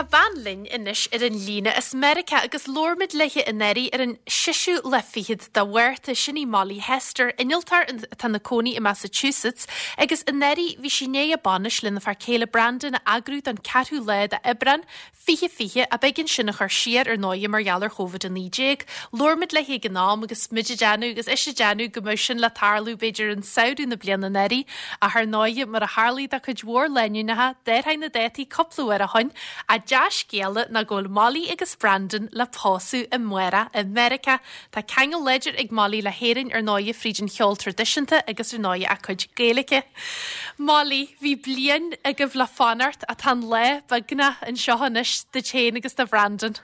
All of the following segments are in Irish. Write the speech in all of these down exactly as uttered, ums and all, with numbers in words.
Tá bean linn anois ar an líne as Meiriceá agus labhair muid léi anuraidh ar an seisiú lá fichead de Mhárta sin í Molly Hester, innealtóir atá ina cónaí i Massachusetts, agus anuraidh bhí sí i ndiaidh a bainis lena fear céile Brandon a eagrú don ceathrú lá d'Aibreán fiche fiche ach b'éigean sin a chur siar ar ndóigh mar gheall ar Covid a naoi déag. Labhair muid léi ag an am agus muid ag déanamh agus ise ag déanamh go mbeadh sin le tarlú b'fhéidir an samhradh na bliana anuraidh ach ar ndóigh mar a tharlaigh do chuid mhór lánúineacha d'athraigh na dátaí cúpla uair ó shin an dea-scéala ná go bhfuil Molly agus Brandon le pósadh amárach i Meiriceá. Tá ceangal láidir ag Molly le hÉirinn ar ndóigh fríd an cheol traidisiúnta agus ar ndóigh a cuid Gaeilge. Molly, bhí bliain agaibh le fanacht ach tá an lá beagnach anseo anois duit féin agus do Brandon.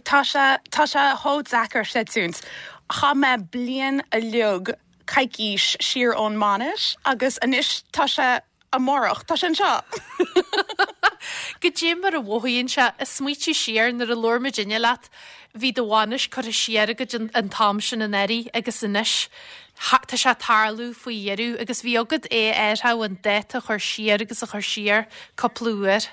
Tá sé tá sé chomh deacair creidiúint. Chaith mé bliain uilig coicís siar ón mbainis agus anois tá sé amárach tá sé anseo. Goidé mar a mhothaíonn sé ag smaoitiú siar nuair a labhair muidinne leat, bhí do bhainis curtha siar agat an, an t-am sin anuraidh agus anois tá sé tarlú faoi dheireadh agus bhí agat é ar an dáta a chur siar agus a chur siar cúpla uair.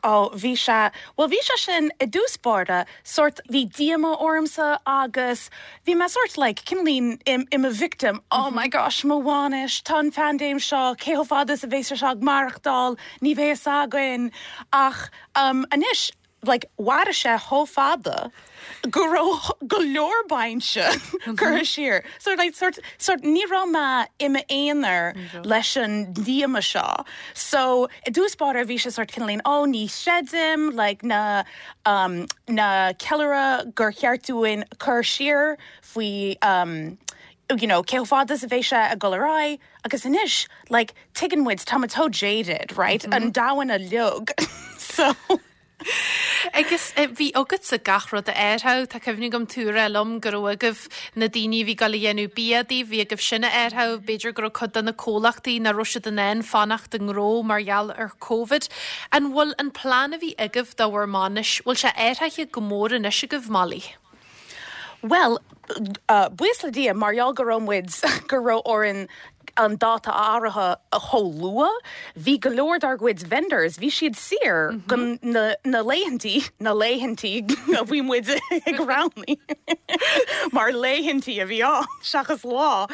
Ó bhí sé well bhí sé sin i dtús báire sort bhí díomá ormsa agus bhí mé sort like cineáilín im, im a victim oh my gosh mo bhainis tá an phaindéim seo cé chomh fada is a bheas sé ag maireachtáil ní bheidh againn ach um, anois like mhair sé chomh fada go raibh go leor bainise curtha siar. So like sort sort ní raibh mé i m'aonar leis an díomá seo. So i dtús báire bhí sé sort cineáilín ó ní chreidim like na um, na ceiliúradh gur cheart dúinn cur siar faoi um, you know, cé fada a bheidh sé ag dul ar aghaidh agus anois like tuigeann muid tá tó jaded right mm -hmm. an domhan uilig so Agus eh, bhí agat sa gach rud a áirithe Tá cuimhne agam tú ag rá liom go raibh agaibh na daoine bhí ag déanamh bia daoibh, bhí agaibh sin a áirithe, b'fhéidir go raibh cuid de na comhlachtaí nach raibh siad in ann fanacht i ngnó mar gheall ar COVID. An bhfuil an plean a bhí agaibh do bhur mbainis, bhfuil sé athraithe go mór anois agaibh Molly? Well, uh, buíochas le Dia mar gheall go raibh muid go raibh orainn an dáta athraithe a chomh luath, bhí go leor dár gcuid vendors, bhí siad saor mm -hmm. na, na laethantaí na laethantaí a bhí muid ag roghnú mar laethantaí a bhí á seachas lá.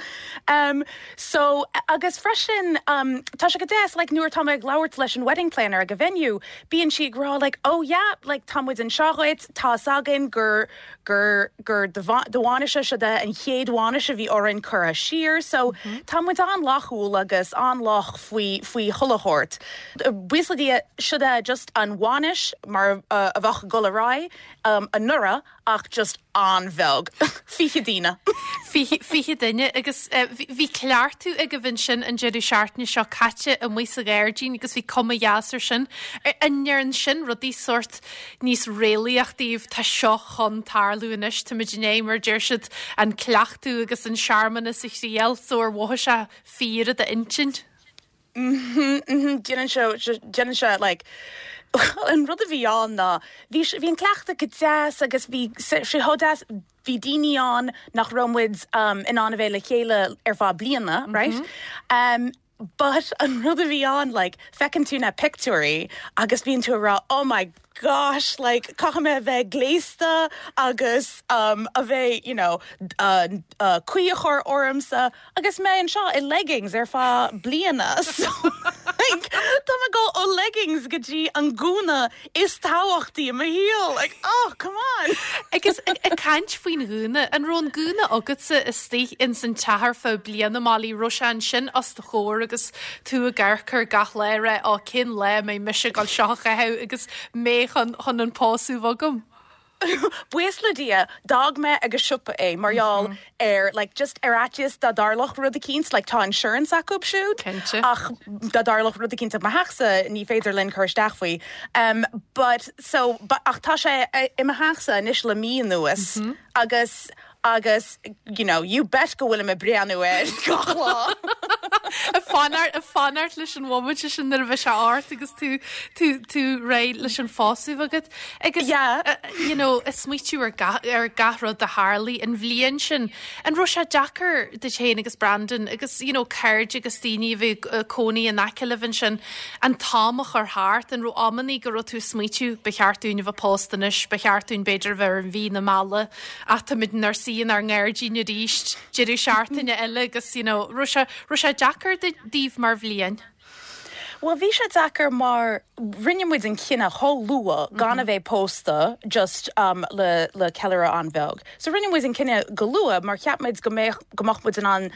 Um, so agus freisin um, tá sé go deas like, nuair tá ag labhairt leis an wedding planner ag a venue, bíonn sí ag rá like, oh yeah, like, tá muid anseo duit tá againn gur gur gur do bhainis se de an chéad bhainis a bhí orainn curtha siar, so mm -hmm. tá muid an-fhlaithiúil agus an-lách faoi faoi chuile shórt. Buíochas le Dia seo é just an bhainis mar uh, a bheadh ag dul ar aghaidh um, anuraidh ach just an-bheag fiche duine. Fiche duine agus uh, bhí cleachtadh agaibh ansin an deireadh seachtaine seo caite amuigh sa ghairdín agus bhí cuma dheas air sin. An ndéanann sin rudaí sort níos réalaíoch daoibh tá seo chun tarlú anois tá muid inné mar deir siad an cleachtadh agus an searmanas a thriail so ar mhothaigh sé fíor i d'intinn. Déanann sé déanann sé like an rud a bhí ann ná bhí bhí an cleachtadh go deas agus bhí sé chomh deas bhí daoine ann nach raibh muid um, in ann a bheith le chéile ar feadh bliana, mm -hmm. right? Um, but an rud a bhí ann like feiceann tú na pictiúirí agus bíonn tú rá oh my gosh like caithfidh mé a bheith gléasta agus um, a bheith you know uh, uh, caoi a chur ormsa agus mé anseo i leggings ar feadh bliana so like, Tá go ó leggings go dtí an gúna is tábhachtaí i mo shaol like oh come on Agus ag caint faoin ghúna an raibh an gúna agatsa istigh in san teach ar feadh bliana Molly raibh sé ansin os do chomhair agus tú ag amharc air gach lá rá á cén lá mé mise gal seo agus mé chun chun an pósadh agam. Buíochas le Dia d'fhág mé ag an siopa é mar gheall mm -hmm. ar like just ar fhaitíos dá dtarlódh rud eicínt like tá insurance acu siúd ach dá dtarlódh rud eicínt mo theachsa ní féidir linn chur isteach faoi. Um, but so but, ach tá sé i mo theachsa anois le mí anuas mm -hmm. agus agus you know you bet go bhfuil mé ag breathnú air gach lá. Ag fanacht leis an mhóimint sin nuair a bheidh sé ort agus tú tú tú réidh leis an phósadh agat. Agus Yeah. uh, you know, ag smaoitiú ar ga- ar gach rud a tharla an bhliain sin. An raibh sé deacair duit féin agus Brandon agus you know, cairde agus daoine a bhí uh, cónaí in aice libh ansin an t-am a chur thart an raibh amannaí go raibh tú ag smaoitiú ba cheart dúinn a bheith pósta anois, ba cheart dúinn b'fhéidir bheith ar an mhí na meala ach táimid inár suí inár ngairdín arís deireadh seachtaine eile agus you know, raibh sé raibh sé deacair daoibh mar bhliain. Well, bhí sé deacair mar rinne muid an cinneadh chomh luath gan a bheith pósta just um, le le ceiliúradh an-bheag. So rinne muid an cinneadh go luath mar cheap muid go mbeadh go mbeadh muid in ann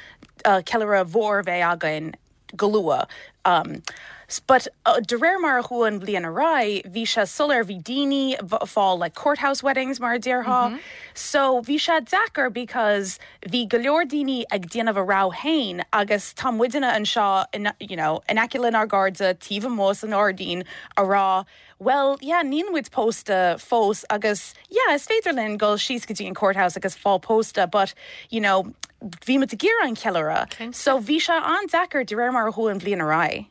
uh, ceiliúradh mhór bheith againn go luath. Um, s- but uh, de réir mar a chuaigh an bhliain ar aghaidh, bhí sé soiléir bhí daoine fáil like courthouse weddings mar a déarfá. Mm -hmm. So bhí sé deacair because bhí go leor daoine ag déanamh a rogha féin agus tá muidne anseo in, you know, in aice lenár gcairde taobh amuigh san ngairdín ag rá, Well, yeah, níl muid pósta fós agus yeah, is féidir linn dul síos go dtí an courthouse agus fáil pósta, but you know, bhí muid ag iarraidh an ceiliúradh. Cinnte. So bhí sé an-deacair de réir mar a chuaigh an bhliain ar aghaidh.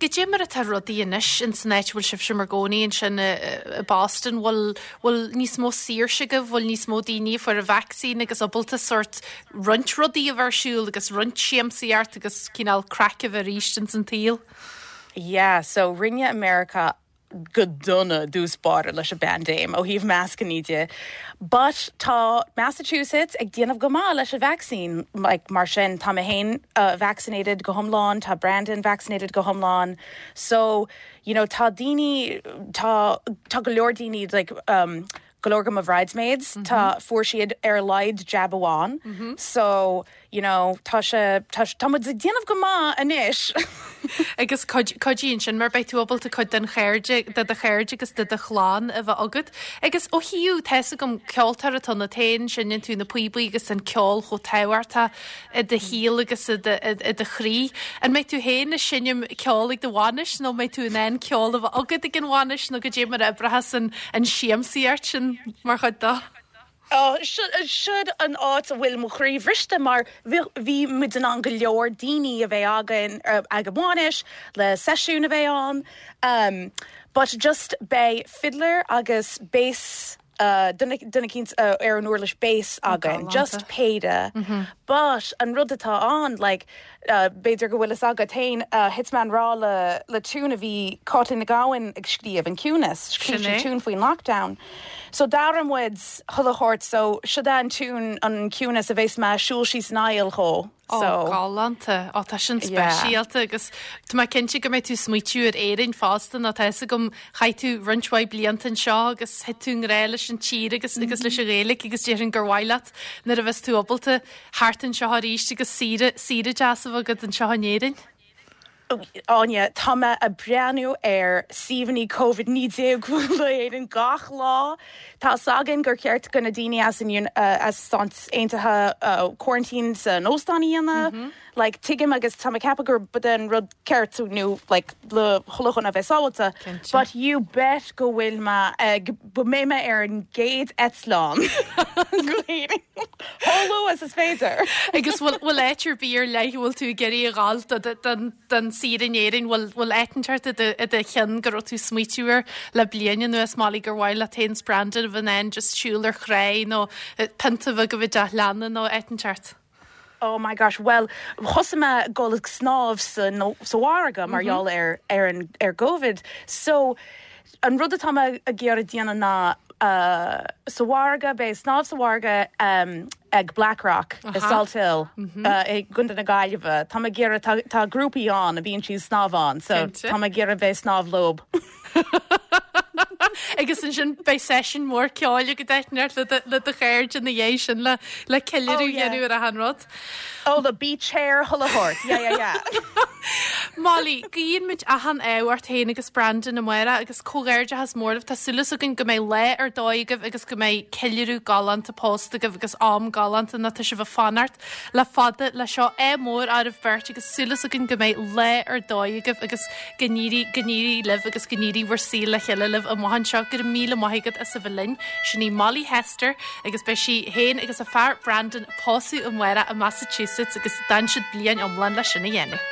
Goidé mar atá rudaí anois in san áit bhfuil sibh inár gcónaí ansin i i Boston bhfuil bhfuil níos mó saoirse agaibh bhfuil níos mó daoine fuair an vaccine agus ábalta sort roinnt rudaí a bheith ar siúl agus roinnt siamsaíocht agus cineál craic a bheith arís in san tsaol. Yeah, so rinne America go dona dtús báire leis an bpaindéim ó thaobh mascanna de. But tá Massachusetts ag déanamh go maith leis an vaccine like, mar sin tá mé féin uh, vaccinated go hiomlán, tá Brandon vaccinated go hiomlán. So you know, tá daoine tá tá go leor daoine like, um, go leor de mo bridesmaids mm -hmm. tá fuair siad ar a laghad jab amháin. Mm -hmm. So you know, tá sé tá tá muid ag déanamh go maith anois. Agus cuidíonn sin mar beidh tú ábalta cuid den chairde de do chairde agus de do chlann a bheith agat. Agus ó thaobh tá a fhios agam ceoltóir atá ionat féin seinneann tú na píobaí agus an ceol chomh tábhachtach i do shaol agus i do chroí. An mbeidh tú féin ag seinm ceol ag do bhainis nó mbeidh tú in ann ceol a bheith agat ag an bhainis nó goidé mar a oibreoidh an an siamsaíocht sin mar chuid de. Oh, siod an áit a bhfuil mo chroí briste mar bhí muid in ann go leor daoine a bheith againn ag an bhainis le seisiún a bheith ann. Um, but just beidh fiddler agus bass uh, duine eicínt uh, ar an uirlis bass againn, just péire. Mm -hmm. But an rud atá ann like, uh, b'fhéidir go bhfuil fhios agat féin uh, thit mé i ngrá le le tune a bhí Cáitlín Nic Gabhann ag scríobh an Ciúnas, scríobh sí tune faoin lockdown. So d'amhrain muid chuile shórt so siod an tune an Ciúnas a bheas mé siúl síos an aill chomh. So galánta á tá sin speisialta agus Tá mé cinnte go mbeidh tú smaoitiú ar Éirinn fosta nó tá a fhios agam chaith tú roinnt mhaith blianta anseo agus thit tú i ngrá leis an tír agus mm -hmm. agus leis an Ghaeilge agus déarfainn gur mhaith leat nuair a bheas tú ábalta theacht anseo arís agus saoire saoire deas a bheith agat anseo in Éirinn. Áine tá mé ag breathnú ar suíomhanna COVID naoi déag Éirinn gach lá. Tá againn gur ceart go na daoine as an uh, as Stáit Aontaithe uh, quarantine san óstán a dhéanamh. Mm -hmm. Like tuigim agus tá mé ag ceapadh gur b'in an rud ceart nó like, le chun a bheith sábháilte. But you bet go bhfuil mé go mbeidh mé ar an gcéad eitleán. Chomh luath is is féidir. Agus bhfuil áit ar bith ar leith bhfuil tú ag iarraidh a ghabháil don saoire in Éirinn bhfuil bhfuil áit i do cheann go raibh tú smaoitiú air le bliain anuas Molly gur mhaith leat féin 's Brandon a bheith in ann just siúl ar chré nó pionta bheith go bhí leanna nó áit. Oh my gosh, well thosaigh mé gul ag snámh sa no, sa bhfarraige mar gheall mm -hmm. ar ar an ar COVID. So an rud atá mé ag iarraidh déanamh ná uh, sa bhfarraige beidh snámh sa bhfarraige um, ag Blackrock uh -huh. i Salthill mm -hmm. uh, i gContae na Gaillimhe. Tá mé ag iarraidh tá, tá grúpaí ann a bhíonn siad snámh ann, so tá mé ag iarraidh bheith snámh leo. Agus ansin beidh seisiún mór ceoil go deimhin le do chairde ina dhiaidh sin le le ceiliúradh dhéanamh ar an rud. Oh, the beach hair chuile shórt. Yeah, yeah, yeah. Molly, guíonn muid achan ádh ort féin agus Brandon amárach agus comhghairdeachas mór libh tá súil againn go mbeidh lá ar dóigh agaibh agus go mbeidh ceiliúradh galánta pósta agaibh agus am galánta nó tá sibh ag fanacht le fada le seo ádh mór oraibh beirt agus súil againn go mbeidh lá ar dóigh agaibh agus go n-éirí go n-éirí libh agus go n-éirí bhur saol le chéile libh amach anseo go raibh míle maith agat as a bheith linn sin í Molly Hester agus beidh sí féin agus a fear Brandon pósadh amárach i Massachusetts agus d'fhan siad bliain iomlán le sin a dhéanamh.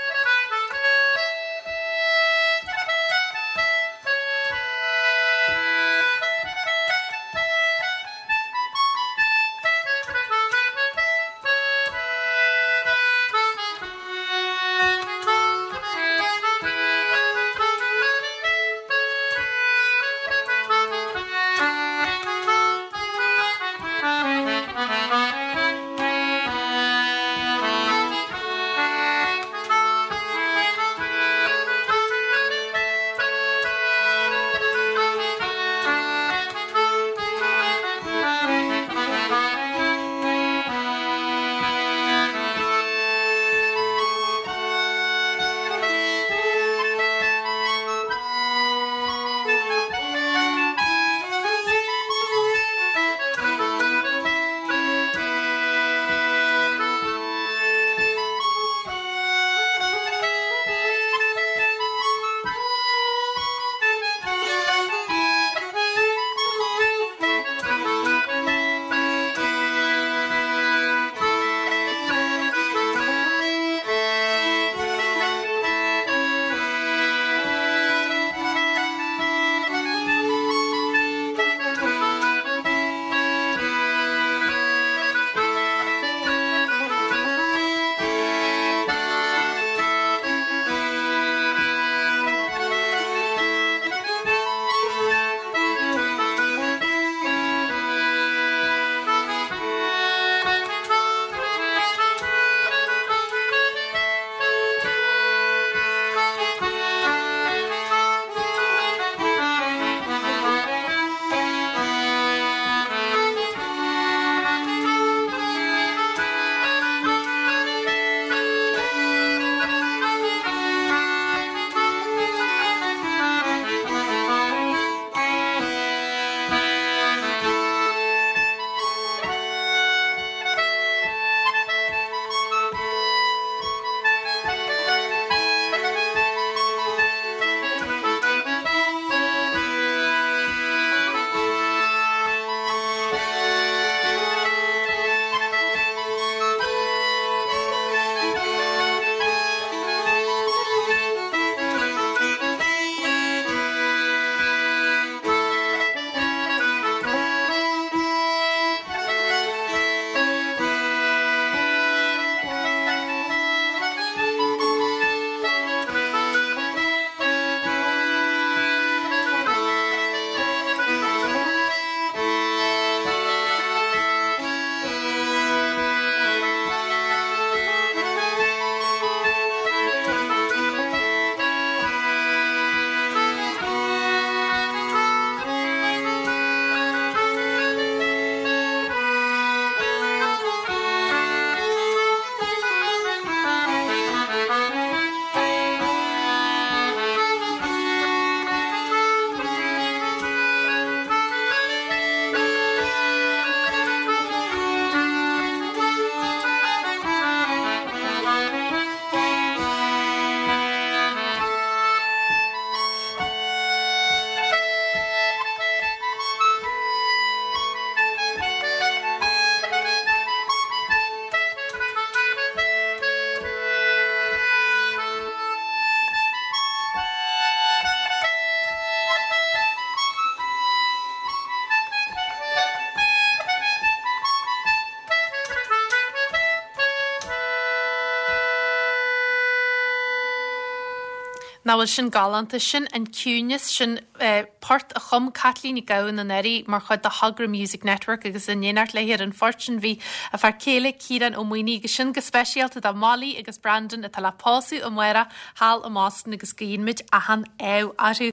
Nach bhfuil sin galánta sin an ciúnas sin eh, port a chum Caitlín Nic Gabhann anuraidh mar chuid de thogra Music Network agus in éineacht léi ar an phort sin bhí a fear céile Ciarán Ó Maonaigh agus sin go speisialta do Molly agus Brandon atá le pósadh amárach thall i mBoston agus guímid achan ádh orthu.